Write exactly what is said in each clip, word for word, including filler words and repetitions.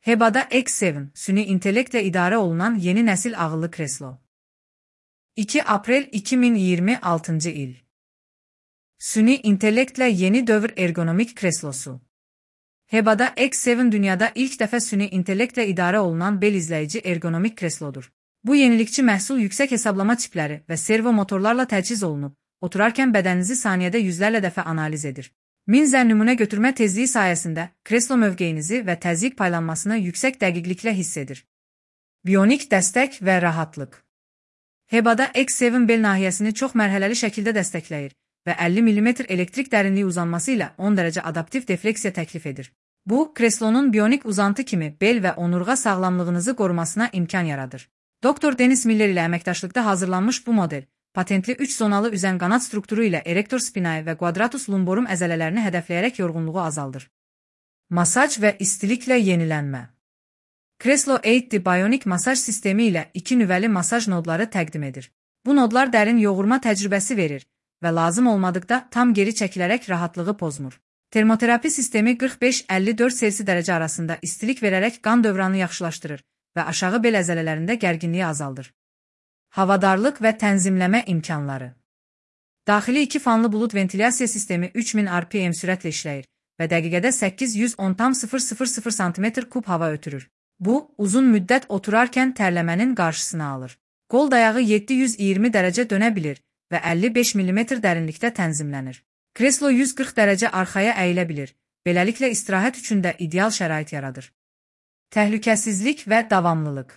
Hebada X yeddi, süni intellektlə idarə olunan yeni nəsil ağıllı kreslo. iki aprel iki min iyirmi altıncı il. Süni intellektlə yeni dövr ergonomik kreslosu. Hebada X yeddi dünyada ilk dəfə süni intellektlə idarə olunan bel izləyici ergonomik kreslodur. Bu yenilikçi məhsul yüksək hesablama çipləri və servo motorlarla təchiz olunub, oturarkən bədəninizi saniyədə yüzlərlə dəfə analiz edir. min zər nümunə götürmə tezliyi sayəsində kreslo mövqeyinizi və təzyiq paylanmasını yüksək dəqiqliklə hiss edir. Bionik dəstək və rahatlıq. Hebada X yeddi bel nahiyəsini çox mərhələli şəkildə dəstəkləyir və əlli millimetr elektrik dərinliyi uzanması ilə on dərəcə adaptiv defleksiya təklif edir. Bu, kreslonun bionik uzantı kimi bel və onurğa sağlamlığınızı qorumasına imkan yaradır. Doktor Dennis Miller ilə əməkdaşlıqda hazırlanmış bu model, patentli üç zonalı üzən qanat strukturu ilə erektor spinae və quadratus lumborum əzələlərini hədəfləyərək yorğunluğu azaldır. Masaj və istiliklə yenilənmə. Kreslo eight D Bionic masaj sistemi ilə iki nüvəli masaj nodları təqdim edir. Bu nodlar dərin yoğurma təcrübəsi verir və lazım olmadıqda tam geri çəkilərək rahatlığı pozmur. Termoterapi sistemi qırx beş əlli dörd Selsi dərəcə arasında istilik verərək qan dövranı yaxşılaşdırır və aşağı bel əzələlərində gərginliyi azaldır. Havadarlıq və tənzimləmə imkanları. Daxili iki fanlı bulud ventilyasiya sistemi üç min R P M sürətlə işləyir və dəqiqədə səkkiz yüz on tam sıfır sıfır sıfır santimetr kub hava ötürür. Bu, uzun müddət oturarkən tərləmənin qarşısını alır. Qol dayağı yeddi yüz iyirmi dərəcə dönə bilir və əlli beş millimetr dərinlikdə tənzimlənir. Kreslo yüz qırx dərəcə arxaya əyilə bilir, beləliklə istirahət üçün də ideal şərait yaradır. Təhlükəsizlik və davamlılıq.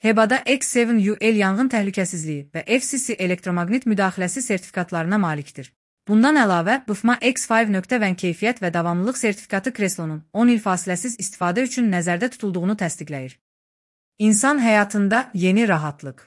Hebada X yeddi U L yanğın təhlükəsizliyi və F C C elektromaqnit müdaxiləsi sertifikatlarına malikdir. Bundan əlavə, B F M A X beş keyfiyyət və davamlılıq sertifikatı kreslonun on il fasiləsiz istifadə üçün nəzərdə tutulduğunu təsdiqləyir. İnsan həyatında yeni rahatlıq.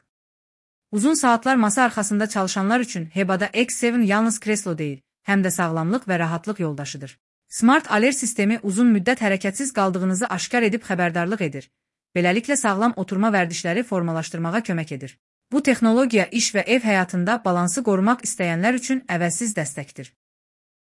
Uzun saatlar masa arxasında çalışanlar üçün Hebada X yeddi yalnız kreslo deyil, həm də sağlamlıq və rahatlıq yoldaşıdır. Smart Alert sistemi uzun müddət hərəkətsiz qaldığınızı aşkar edib xəbərdarlıq edir. Beləliklə sağlam oturma vərdişləri formalaşdırmağa kömək edir. Bu texnologiya iş və ev həyatında balansı qorumaq istəyənlər üçün əvəzsiz dəstəkdir.